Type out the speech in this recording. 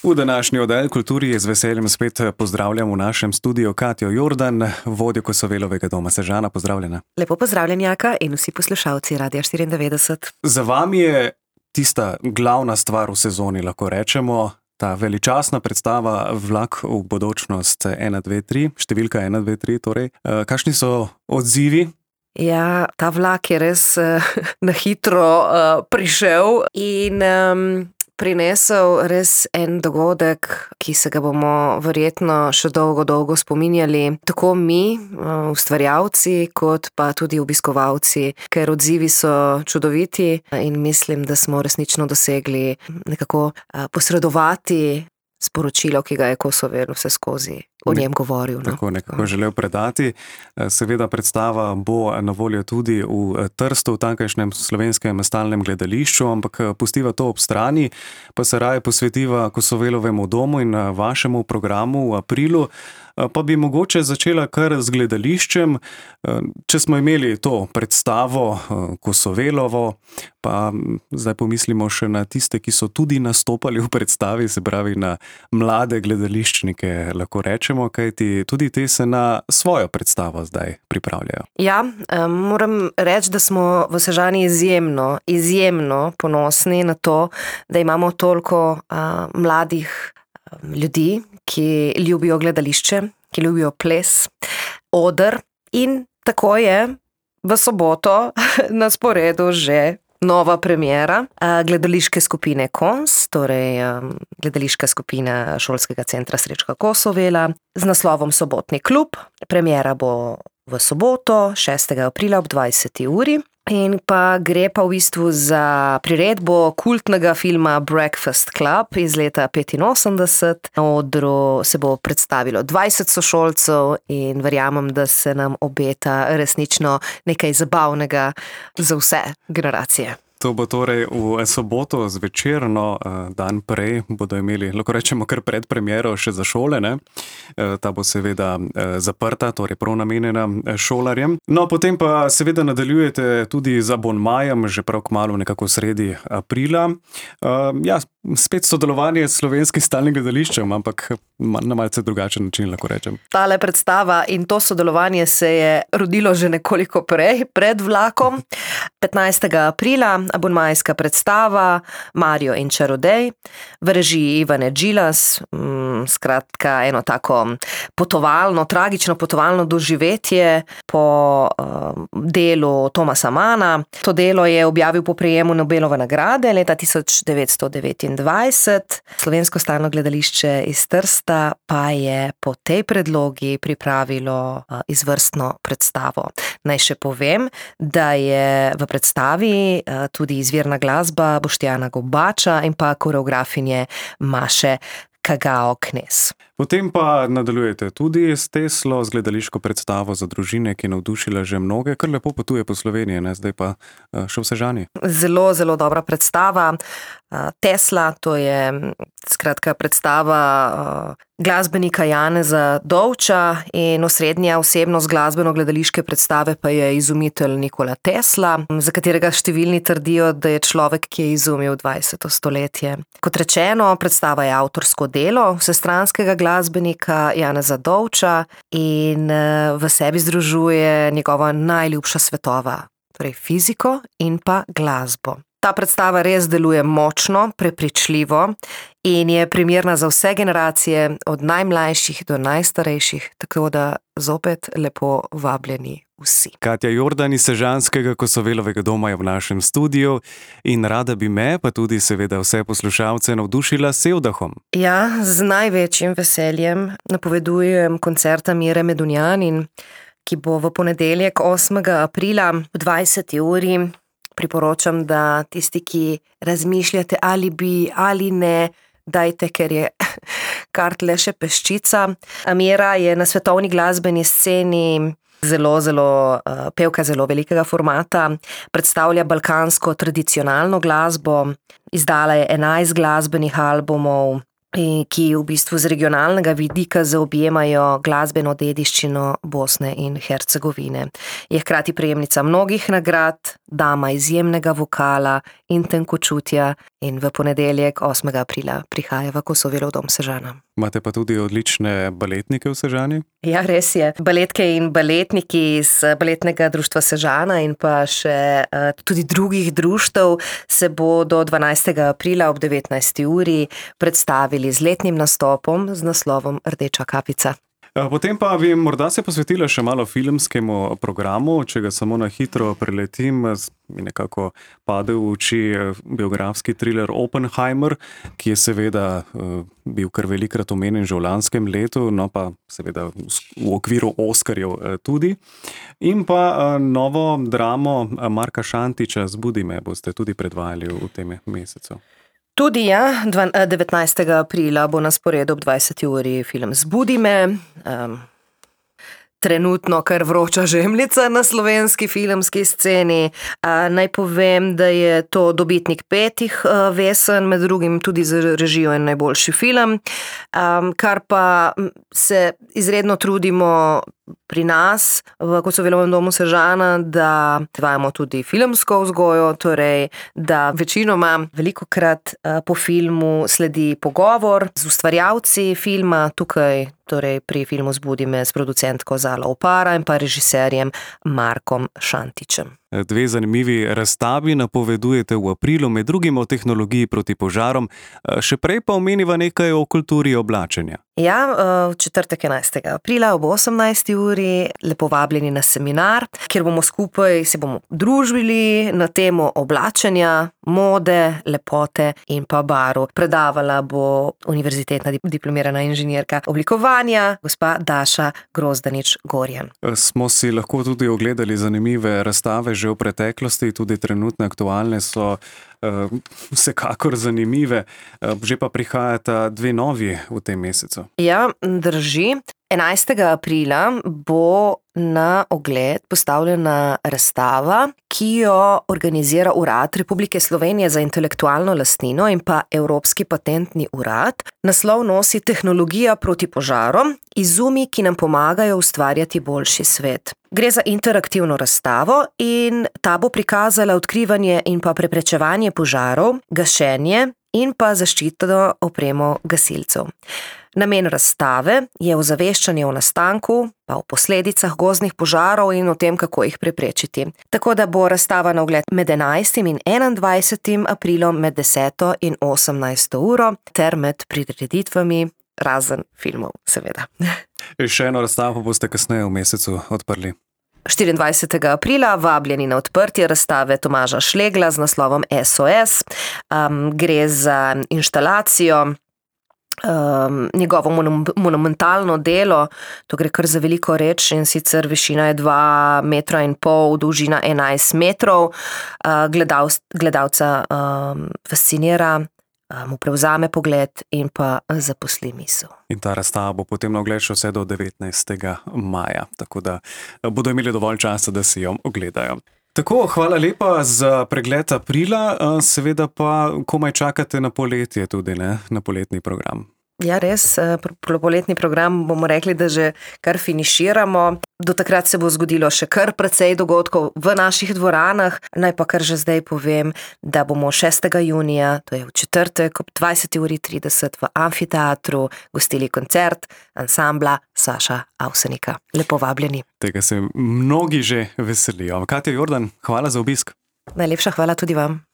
V današnji oddaji Kulturi je z veseljem spet pozdravljam v našem studiu Katjo Jordan, vodjo Kosovelovega doma Sežana. Pozdravljena. Lepo pozdravljen, Jaka, in vsi poslušalci Radia 94. Za vami je tista glavna stvar v sezoni, lahko rečemo, ta veličastna predstava Vlak v bodočnost 1, 2, 3, številka 1, 2, 3 torej. Kakšni so odzivi? Ja, ta vlak je res na hitro prišel in prinesel res en dogodek, ki se ga bomo verjetno še dolgo spominjali. Tako mi, ustvarjalci, kot pa tudi obiskovalci, ker odzivi so čudoviti in mislim, da smo resnično dosegli nekako posredovati sporočilo, ki ga je Kosovel vse skozi o njem govoril. No? Tako nekako želel predati. Seveda predstava bo na voljo tudi v Trstu, v tamkajšnjem slovenskem stalnem gledališču, ampak pustiva to ob strani, pa se raje posvetiva Kosovelovemu domu in vašemu programu v aprilu. Pa bi mogoče začela kar z gledališčem. Če smo imeli to predstavo Kosovelovo, pa zdaj pomislimo še na tiste, ki so tudi nastopali v predstavi, se pravi na mlade gledališčnike, lahko rečemo, kajti tudi te se na svojo predstavo zdaj pripravljajo. Ja, moram reči, da smo v Sežani izjemno ponosni na to, da imamo toliko mladih ljudi, ki ljubijo gledališče, ki ljubijo ples, oder, in tako je v soboto na sporedu že nova premiera gledališke skupine KONS, torej gledališka skupina Šolskega centra Srečka Kosovela z naslovom Sobotni klub. Premiera bo v soboto, 6. aprila ob 20. uri. In pa gre pa v bistvu za priredbo kultnega filma Breakfast Club iz leta 1985. Na odru se bo predstavilo 20 sošolcev in verjamem, da se nam obeta resnično nekaj zabavnega za vse generacije. To bo torej v soboto zvečer, dan prej bodo imeli, lahko rečemo, kar predpremiero še za šole, ne? Ta bo seveda zaprta, torej prav namenjena šolarjem. No, potem pa seveda nadaljujete tudi z abonmajem, že prav kmalu nekako sredi aprila. Ja, spet sodelovanje s Slovenskim stalnim gledališčem, ampak na malce drugačen način, lahko rečem. Tale predstava in to sodelovanje se je rodilo že nekoliko prej, pred vlakom. 15. aprila abonmajska predstava Mario in čarodej v režiji Ivane Džilas, skratka eno tako tragično potovalno doživetje po delu Thomasa Manna. To delo je objavil po prejemu Nobelove nagrade leta 1929. Slovensko stalno gledališče iz Trsta pa je po tej predlogi pripravilo izvrstno predstavo. Naj še povem, da je v predstavi tudi izvirna glasba Boštjana Gobača in pa koreografinje Maše Kagao-Knez. Potem pa nadaljujete tudi s Teslo, z gledališko predstavo za družine, ki je navdušila že mnoge, kar lepo potuje po Sloveniji, ne? Zdaj pa še v Sežani. Zelo dobra predstava. Tesla, to je skratka predstava glasbenika Janeza Dovča in osrednja osebnost glasbeno-gledališke predstave pa je izumitelj Nikola Tesla, za katerega številni trdijo, da je človek, ki je izumil 20. stoletje. Kot rečeno, predstava je avtorsko delo vsestranskega glasbenika Janeza Dovča in v sebi združuje njegova najljubša svetova, torej fiziko in pa glasbo. Ta predstava res deluje močno, prepričljivo in je primerna za vse generacije, od najmlajših do najstarejših, tako da zopet lepo vabljeni vsi. Katja Jordan iz Sežanskega Kosovelovega doma je v našem studiu in rada bi me, pa tudi seveda vse poslušalce, navdušila s Sevdahom. Ja, z največjim veseljem napovedujem koncert Mire Medunjanin, ki bo v ponedeljek 8. aprila v 20. uri. Priporočam, da tisti, ki razmišljate ali bi ali ne, dajte, ker je kart le še peščica. Mira je na svetovni glasbeni sceni zelo pevka zelo velikega formata, predstavlja balkansko tradicionalno glasbo, izdala je 11 glasbenih albumov, ki v bistvu z regionalnega vidika zaobjemajo glasbeno dediščino Bosne in Hercegovine. Je hkrati prejemnica mnogih nagrad, dama izjemnega vokala in tenkočutja in v ponedeljek 8. aprila prihaja v Kosovelov dom Sežana. Imate pa tudi odlične baletnike v Sežani? Ja, res je. Baletke in baletniki iz Baletnega društva Sežana in pa še tudi drugih društev se bodo 12. aprila ob 19. uri predstavili z letnim nastopom z naslovom Rdeča kapica. Potem pa bi morda se posvetila še malo filmskemu programu, če ga samo na hitro preletim, mi nekako pade v oči biografski thriller Oppenheimer, ki je seveda bil kar velikrat omenjen že v lanskem letu, no pa seveda v okviru Oskarjev tudi. In pa novo dramo Marka Šantića Zbudi me boste tudi predvajali v tem mesecu. Tudi 19. aprila bo na sporedu ob 20. uri film Zbudi me. Trenutno kar vroča žemljica na slovenski filmski sceni. Naj povem, da je to dobitnik 5 vesen, med drugim tudi za režijo in najboljši film, kar pa se izredno trudimo pri nas v Kosovelovem domu Sežana, da izvajamo tudi filmsko vzgojo, torej da večinoma velikokrat po filmu sledi pogovor z ustvarjalci filma, tukaj torej pri filmu Zbudi me s producentko Zala Opara in pa režiserjem Markom Šantićem. 2 zanimivi razstavi napovedujete v aprilu, med drugim o tehnologiji proti požarom, še prej pa omeniva nekaj o kulturi oblačenja. Ja, v četrtek 11. aprila ob 18. uri lepo vabljeni na seminar, kjer bomo skupaj se bomo družili na temo oblačenja, mode, lepote in pa barv. Predavala bo univerzitetna diplomirana inženirka oblikovanja, gospa Daša Grozdanič-Gorjan. Smo si lahko tudi ogledali zanimive razstave že v preteklosti, tudi trenutne aktualne so vsekakor zanimive. Že pa prihajata 2 novi v tem mesecu. Ja, drži. 11. aprila bo na ogled postavljena razstava, ki jo organizira Urad Republike Slovenije za intelektualno lastnino in pa Evropski patentni urad. Naslov nosi Tehnologija proti požarom, izumi, ki nam pomagajo ustvarjati boljši svet. Gre za interaktivno razstavo in ta bo prikazala odkrivanje in pa preprečevanje požarov, gašenje in pa zaščitno opremo gasilcev. Namen razstave je ozaveščanje o nastanku, pa o posledicah gozdnih požarov in o tem, kako jih preprečiti. Tako da bo razstava na ogled med 11. in 21. aprilom med 10. in 18. uro ter med prireditvami, razen filmov, seveda. Še eno razstavo boste kasneje v mesecu odprli. 24. aprila vabljeni na odprtje razstave Tomaža Šlegla z naslovom SOS. Gre za inštalacijo, njegovo monumentalno delo, to gre kar za veliko reč, in sicer višina je 2,5 metra, dolžina 11 metrov. Gledalca fascinira, mu prevzame pogled in pa zaposli misel. In ta razstava bo potem na ogled še vse do 19. maja, tako da bodo imeli dovolj časa, da si jo ogledajo. Tako, hvala lepa za pregled aprila, seveda pa komaj čakate na poletje tudi, ne? Na poletni program. Ja, res, poletni program bomo rekli, da že kar finiširamo. Do takrat se bo zgodilo še kar precej dogodkov v naših dvoranah. Naj pa kar že zdaj povem, da bomo 6. junija, to je v četrtek ob 20:30 v Amfiteatru gostili koncert ansambla Saša Avsenika. Lepo vabljeni. Tega se mnogi že veselijo. Katja Jordan, hvala za obisk. Najlepša hvala tudi vam.